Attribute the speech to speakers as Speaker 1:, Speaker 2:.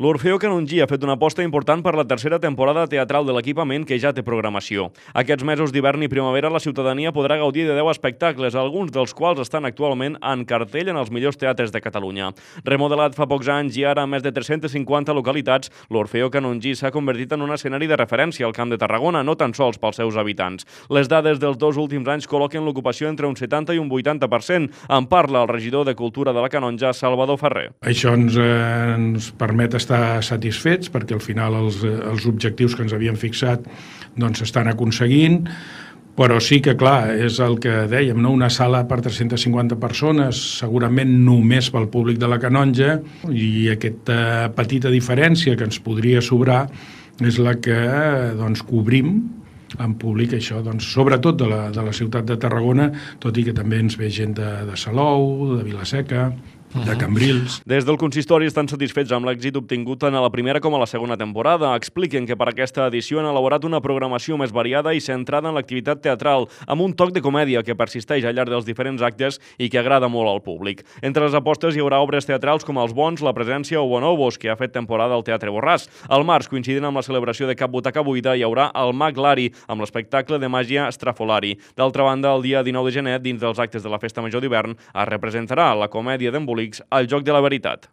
Speaker 1: L'Orfeó Canongí ha fet una aposta important per la tercera temporada teatral de l'equipament que ja té programació. Aquests mesos d'hivern i primavera la ciutadania podrà gaudir de 10 espectacles, alguns dels quals estan actualment en cartell en els millors teatres de Catalunya. Remodelat fa pocs anys i ara a més de 350 localitats, l'Orfeó Canongí s'ha convertit en un escenari de referència al Camp de Tarragona, no tan sols pels seus habitants. Les dades dels 2 últims anys col·loquen l'ocupació entre un 70 i un 80%. En parla el regidor de Cultura de la Canonja, Salvador Ferrer.
Speaker 2: Això ens permet estar satisfets perquè al final els objectius que ens havíem fixat s'estan aconseguint, però sí que clar, és el que dèiem, no? Una sala per 350 persones, segurament només pel públic de la Canonja, i aquesta petita diferència que ens podria sobrar és la que cobrim en públic, això, sobretot de la ciutat de Tarragona, tot i que també ens ve gent de Salou, de Vila-seca, de Cambrils.
Speaker 1: Des del consistori estan satisfets amb l'èxit obtingut tant a la primera com a la segona temporada. Expliquen que per aquesta edició han elaborat una programació més variada i centrada en l'activitat teatral, amb un toc de comèdia que persisteix al llarg dels diferents actes i que agrada molt al públic. Entre les apostes hi haurà obres teatrals com Els Bons, La Presència o Bonobos, que ha fet temporada al Teatre Borràs. Al març, coincidint amb la celebració de Cap Butaca Buida, hi haurà El Mag Lari, amb l'espectacle de màgia Strafolari. D'altra banda, el dia 19 de gener, dins dels actes de la Festa Major d'hivern, es representarà la comèdia d'embolics El Joc de la Veritat.